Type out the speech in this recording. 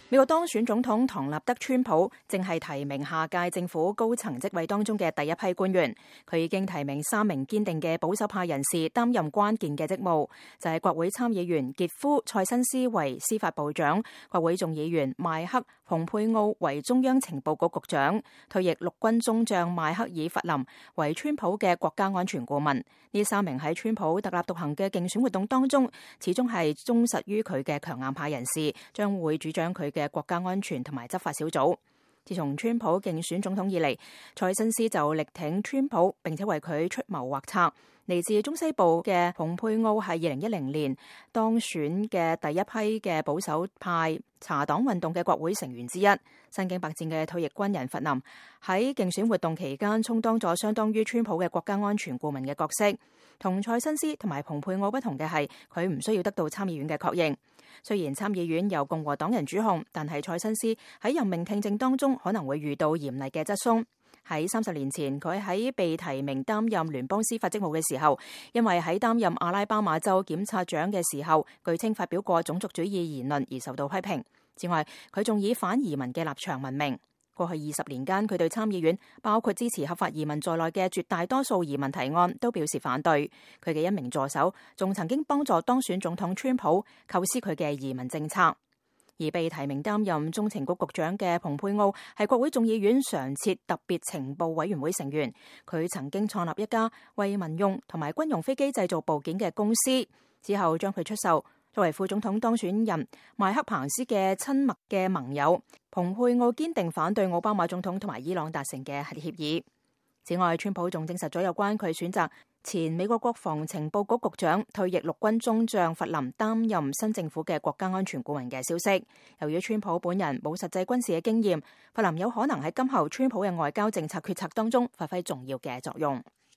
美國當選總統唐納德·川普正係提名下屆政府高層職位當中嘅第一批官員，佢已經提名3名堅定嘅保守派人士擔任關鍵嘅職務，就係國會參議員傑夫·塞辛斯為司法部長，國會眾議員邁克·蓬佩奧為中央情報局局長，退役陸軍中將邁克爾·弗林為川普嘅國家安全顧問。呢3名喺川普特立獨行嘅競選活動當中，始終係忠實於佢嘅強硬派人士，將會主張佢嘅國家安全同埋執法小組。自從川普競選總統以嚟，塞辛斯就力挺川普，並且為佢出謀劃策。嚟自中西部嘅蓬佩奧係2010年當選嘅第一批嘅保守派查黨運動嘅國會成員之一。身經百戰嘅退役軍人弗林喺競選活動期間充當咗相當於川普嘅國家安全顧問嘅角色。同塞辛斯同埋蓬佩奧不同嘅係，佢唔需要得到參議院嘅確認。雖然參議院由共和黨人主控，但係塞辛斯喺任命聽證當中可能會遇到嚴厲嘅質詢。喺30年前，佢喺被提名擔任聯邦司法職務嘅時候，因為喺擔任阿拉巴馬州檢察長嘅時候，據稱發表過種族主義言論而受到批評。此外，佢仲以反移民嘅立場聞名。過去20年間，佢對參議院包括支持合法移民在內嘅絕大多數移民提案都表示反對。佢嘅一名助手仲曾經幫助當選總統川普構思佢嘅移民政策。而被提名擔任中情局局長嘅蓬佩奧係國會眾議院常設特別情報委員會成員，佢曾經創立一家為民用同埋軍用飛機製造部件嘅公司，之後將佢出售。作為副總統當選人邁克彭斯嘅親密嘅盟友，蓬佩奧堅定反對奧巴馬總統同埋伊朗達成嘅核協議。此外，川普仲證實咗有關佢選擇前美國國防情報局局長、退役陸軍中將弗林擔任新政府嘅國家安全顧問嘅消息。由於川普本人冇實際軍事嘅經驗，弗林有可能喺今後川普嘅外交政策決策當中發揮重要嘅作用。